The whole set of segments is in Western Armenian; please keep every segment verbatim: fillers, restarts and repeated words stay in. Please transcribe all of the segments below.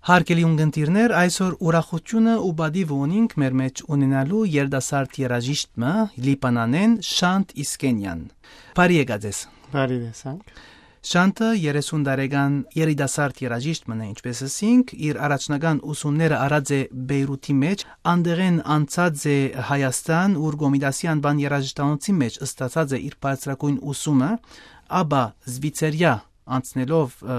Հարգելի ունգընտիրներ, այսօր ուրախութիւնը ու պատիվը ունինք մեր մէջ ունենալու երիտասարդ երաժիշտ մը, Լիբանանէն, Շանթ Իսկենեան։ Բարի եկած ես։ Բարի տեսանք։ Շանթը երեսուն տարեկան երիտասարդ երաժիշտ մը է, ինչպես ըսինք, իր առաջնական ուսումները առած է Բեյրութի մէջ, անդեղէն անցած է Հայաստան, ուր Կոմիտասի անուան երաժշտանոցի մէջ ստացած է իր բարձրագոյն ուսումը, ապա Զվիցերիա անցնելով, ը,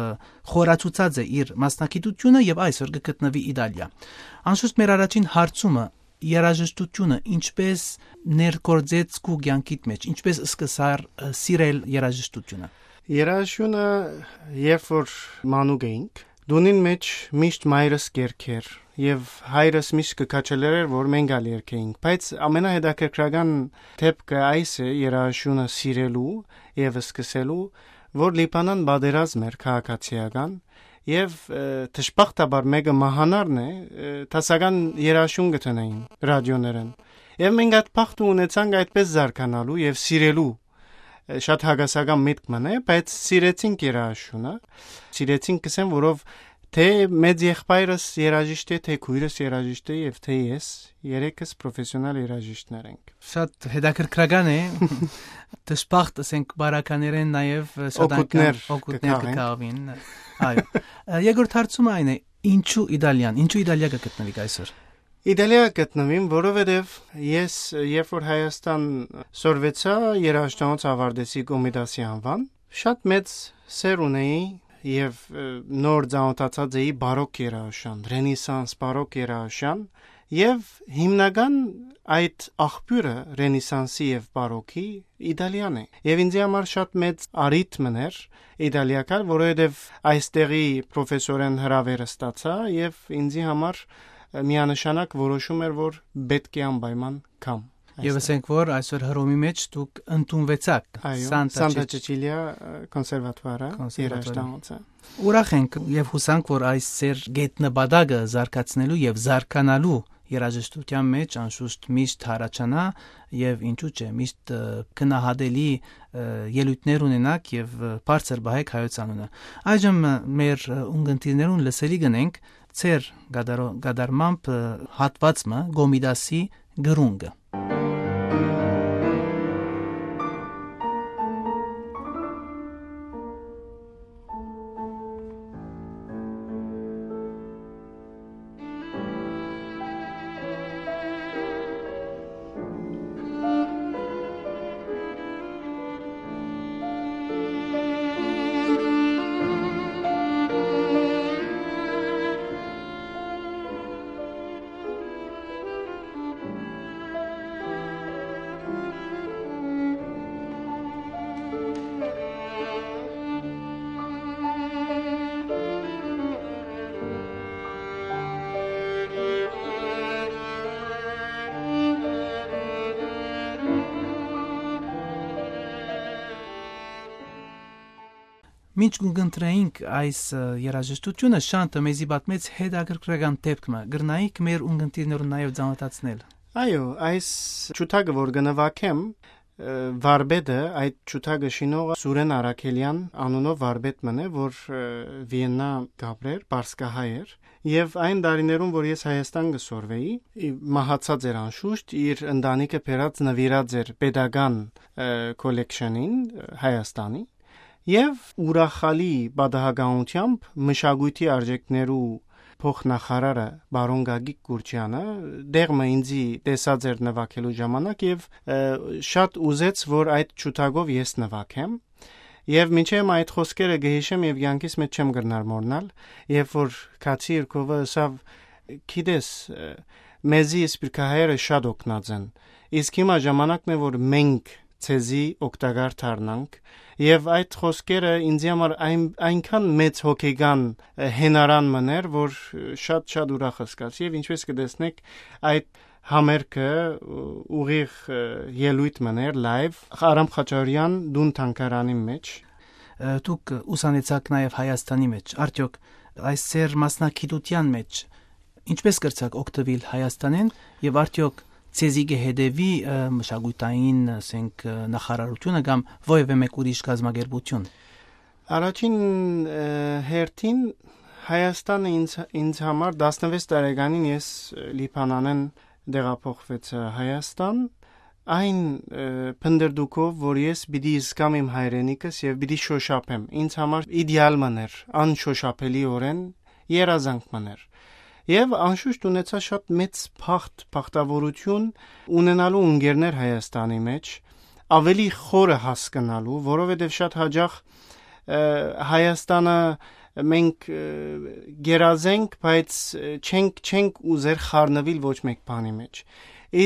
խորացուցած է իր մասնակցությունը եւ այսօր կը գտնուի Իտալիա։ Անշուշտ մեր առաջին հարցումը, երաժշտությունը ինչպես ներգործեց քու կեանքիդ մէջ, ինչպես սկսար, ը, սիրել երաժշտությունը։ Երաժշտությունը, երբ որ մանուկ էինք, տունին մէջ միշտ մայրս կերգեր եւ հայրս միշտ կը քաջալերէր, որ մենք ալ երգեինք, բայց ամենահետաքրքրական դեպքը այս է երաժշտությունը սիրելու եւ սկսելու, որ Լիբանան պատերազմ էր քաղաքացիական, եւ, ը, դժբախտաբար մէկը մահանարն է, ը, դասական երաժշտություն կը տնէին ռադիոներէն։ Եւ մենք այդ բախտը ունեցանք այդպես զարգանալու եւ սիրելու, ը, շատ հակասական միտք մը է, բայց սիրեցինք երաժշտությունը, սիրեցինք կսեմ, որով թէ մեծ եղբայրս երաժիշտ է, թէ քույրս երաժիշտ է եւ թէ ես, երեքս պրոֆեսիոնալ երաժիշտներ ենք։ Շատ հետաքրքրական է։ Դժբախտ, ասենք, բարականերեն նաեւ, ը, շատ անգամ օգուտներ օգուտներ կը կը քաղեն։ Քաղվին։ Այո։ Ը, երկրորդ հարցումը այն է, ինչու Իտալիան, ինչու Իտալիա կը գտնվիք այսօր։ Իտալիա կը գտնվիմ, որովհետեւ ես, երբ որ Հայաստան սորվեցայ, երաժշտանոց ավարտեցի Կոմիտասի անուան, շատ մեծ սեր ունեի եւ, ը, նոր ծանօթացած էի բարոկ երաժշտան, ռենեսանս բարոկ երաժշտան, եւ հիմնական այդ աղբիւրը ռենեսանսի եւ բարոկի Իտալիան է։ Եւ ինձի համար շատ մեծ առիթ մըն էր Իտալիա գալ, որովհետեւ այստեղի պրոֆեսորեն հրաւեր ստացայ եւ ինձի համար, ը, միանշանակ որոշում էր, որ պէտք է անպայման գամ Եւ այստեղ։ Ասենք, որ այսօր Հռոմի մէջ դուք ընդունուեցաք Այո, Սանտա Սանտա Չեչ-, Չեչիլիա, ը, կոնսերվատուարը, կոնսերվատուարը։ Երաժշտանոցը։ Ուրախ ենք եւ յուսանք, որ այս ձեր գետնպատակը զարգացնելու եւ զարգանալու երաժշտութեան մէջ անշուշտ միշտ յառաջանայ եւ ինչու՞ չէ, միշտ, ը, գնահատելի, ը, ելոյթներ ունենաք եւ, ը, բարձր պահէք հայոց անունը։ Այժմ, ը, մեր, ը, ունգընտիրներուն լսելի կ'ընենք ձեր կատարո-, կատարմամբ, ը, հատուած մը Կոմիտասի գրունկը։ Մինչ կ'ընտրենք այս, ը, երաժշտությունը, Շանթը մեզի պատմեց հետաքրքրական դեպք մը, կրնայիք մեր ունգընտիրներուն նաեւ ծանոթացնել։ Այո, այս ջութակը, որ կը նուագեմ, ը, վարպետը, այդ ջութակը շինողը Սուրեն Արաքելեան անունով վարպետ մըն է, որ, ը, Վիեննա կ'ապրէր, պարսկահայ էր, եւ այն տարիներուն, որ ես Հայաստան կը սորվեի, ի-, մահացած էր անշուշտ, իր ընտանիքը բերած նուիրած էր պետական, ը, կոլեքշենին, ը, Հայաստանի, եւ ուրախալի պատահականութեամբ մշակոյթի արժեքներու փոխնախարարը պարոն Գագիկ Կուրչյանը դեղ մը ինձի տեսած էր նվագելու ժամանակ եւ, ը, շատ ուզեց, որ այդ ջութակով ես նվագեմ։ Եւ մինչեւ այդ խոսքերը կը յիշեմ եւ կեանքիս մէջ չեմ կրնար մոռնալ, երբ որ Քացի Իրկովը ըսաւ. «Գիտես, ը, մեզի սփիռքահայերը շատ օգնած են, իսկ հիմա ժամանակն է, որ մենք ձեզի օգտակար դառնանք»։ Եւ այդ խոսքերը ինձի համար այն, այնքան մեծ հոգեկան, ը, հենարան մըն էր, որ շատ, շատ ուրախ զգաց։ Եւ ինչպես կը տեսնեք, այդ համերգը, ը, ուղիղ, ը, ելոյթ մըն էր, լայվ, Արամ Խաչարեան տուն թանգարանի մէջ։ Ը, դուք ուսանեցաք նաեւ Հայաստանի մէջ։ Արդեօք այս ձեր մասնագիտութեան մէջ ինչպես կրցաք օգտվել Հայաստանէն եւ արդեօք ձեզի կը հետեւի, ը, մշակութային, ասենք, ը, նախարարությունը կամ որեւէ մէկ ուրիշ կազմակերպություն։ Առաջին, ը, հերթին Հայաստանը ինձ, ինձ համար, տասնվեց տարեկանին ես, ը, Լիբանանէն տեղափոխվեցա Հայաստան, այն, ը, փնտռտուքով, որ ես պիտի զգամ իմ հայրենիքս եւ պիտի շոշափեմ։ Ինձ համար իդեալ մըն էր, անշոշափելիօրէն երազանք մըն էր։ Եւ անշուշտ ունեցա շատ մեծ բախտ, բախտավորութիւն ունենալու ընկերներ Հայաստանի մէջ, ավելի խորը հասկնալու, որովհետեւ շատ հաճախ, ը, Հայաստանը մենք, ը, գերազենք, բայց, ը, չենք, չենք ուզեր խառնուիլ ոչ մէկ բանի մէջ։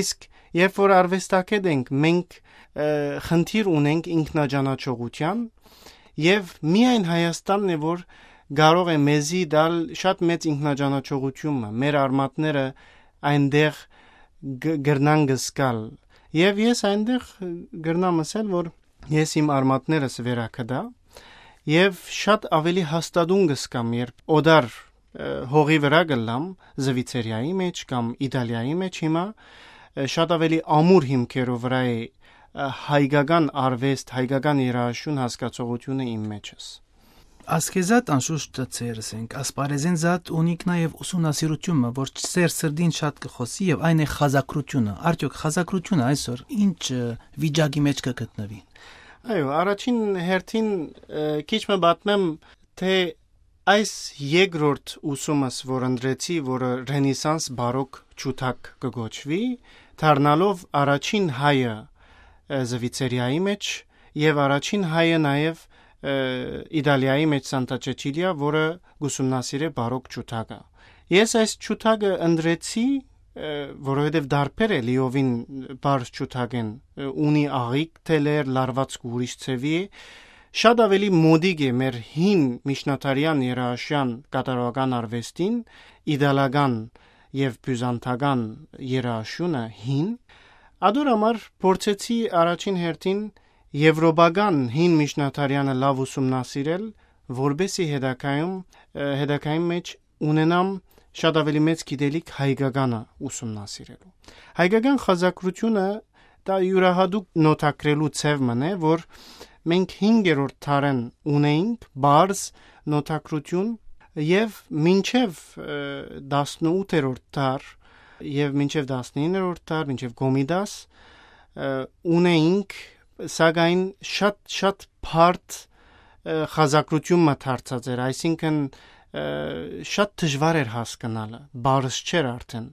Իսկ երբ որ արուեստագէտ ենք, մենք, ը, խնդիր ունենք ինքնաճանաչողութեան, եւ միայն Հայաստանն է, որ կարող է մեզի տալ շատ մեծ ինքնաճանաչողութիւնը, մեր արմատները այնտեղ գ-, կրնան գսկալ։ Եւ ես այնտեղ կրնամ ասել, որ ես իմ արմատներս վերագտայ եւ շատ ավելի հաստատուն կսկամ, երբ օտար, ը, հողի վրայ կ'ըլլամ, Զվիցերիայի մէջ կամ Իտալիայի մէջ հիմա, ը, շատ ավելի ամուր հիմքերով վրայ է, ը, հայկական արուեստ, հայկական երաժշտություն հասկացողութիւնը իմ մեջս։ Ասկեզատ անշուշտ, ձեր, ասենք, ասպարեզին զատ ունիք նաեւ ուսումնասիրութիւնը, որ ձեր սրտին շատ կը խօսի եւ այն է խազակրութիւնը։ Արդեօք խազակրութիւնը այսօր ինչ, ը, վիճակի մէջ կը գտնուի։ Այո, առաջին հերթին, ը, քիչ մը պատմեմ, թե այս երկրորդ ուսումս, որ ընտրեցի, որը Ռենեսանս բարոկ ջութակ կը կոչուի, դառնալով առաջին հայը, ը, Զվիցերիայի մէջ եւ առաջին հայը նաեւ, ը, Իտալիայի մէջ Սանտա Չեչիլիա, որը կ'ուսումնասիրէ բարոկ ջութակը։ Ես այս ջութակը ընտրեցի, ը, որովհետեւ դարբեր է լիովին պարզ ջութակէն, ը, ունի աղիք թելեր, լարուածքը ուրիշ ձեւի է, շատ ավելի մոդիկ է մեր հին միջնադարեան երաժշտական կատարողական արուեստին, իտալական եւ բիւզանդական երաժշտությունը հին։ Ադոր համար փորձեցի առաջին հերթին եվրոպական հին միջնադարեանը լաւ ուսումնասիրել, որպեսզի հետագայում, ը, հետագային մէջ ունենամ շատ ավելի մեծ գիտելիք հայկականը ուսումնասիրելու։ Հայկական խազակրութիւնը դա իւրահատուկ նոթագրելու ձեւ մըն է, որ մենք հինգերորդ դարէն ունեինք պարզ նոթագրութիւն եւ մինչեւ, ը, տասնութերորդ դար եւ մինչեւ տասնիններորդ դար, մինչեւ Կոմիտաս, ը, ունեինք, սակայն շատ, շատ բարդ, ը, խազակրութիւն մը դարձած էր, այսինքն, ը, շատ դժուար էր հասկնալը, պարզ չէր արդեն։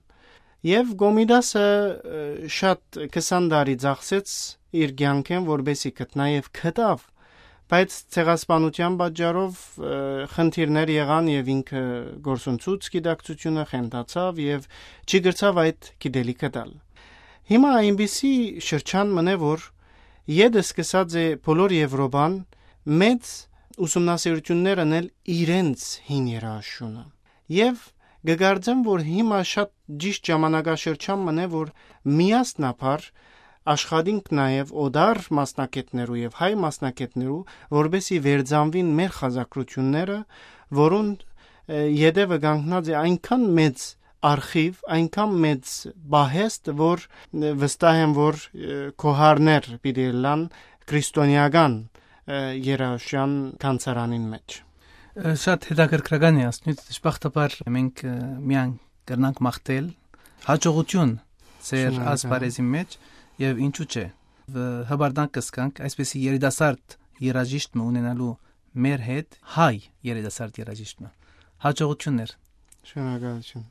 Եւ Կոմիտասը, ը, շատ քսան տարի ծախսեց իր կեանքէն, որպեսզի գտնայ եւ գտաւ, բայց ցեղասպանութեան պատճառով, ը, խնդիրներ եղան եւ ինքը գործընծուց գիտակցութիւնը, խենթացաւ եւ չի կրցաւ այդ գիտելիքը տալ։ Հիմա այնպիսի շրջան մնե, որ ետը սկսած է բոլոր Եվրոպան մեծ ուսումնասիրութիւններ ընել իրենց հին երաժշտութիւնը։ Եւ կը կարծեմ, որ հիմա շատ ճիշտ ժամանակաշրջան մնե, որ միասնաբար աշխատինք նաեւ օտար մասնագէտներու եւ հայ մասնագէտներու, որպեսզի վերծանուին մեր խազակրութիւնները, որուն, ը, ետեւը կանգնած է այնքան մեծ արխիվ, այնքան մեծ պահեստ, որ, ը, վստահ եմ, որ, ը, գոհարներ պիտի ըլլան քրիստոնեական, ը, երաժշտական գանձարանին մէջ։ Ը, շատ հետաքրքրական է ասնուց, դժբախտաբար մենք, ը, միայն կրնանք մաղթել հաջողութիւն ձեր Շնորհակալ։ Ասպարեզին մէջ եւ ինչու՞ չէ, ը, հպարտանք կ'զգանք այսպիսի երիտասարդ երաժիշտ մը ունենալու մեր հետ, հայ երիտասարդ երաժիշտ մը։ Հաջողութիւններ։ Շնորհակալութիւն։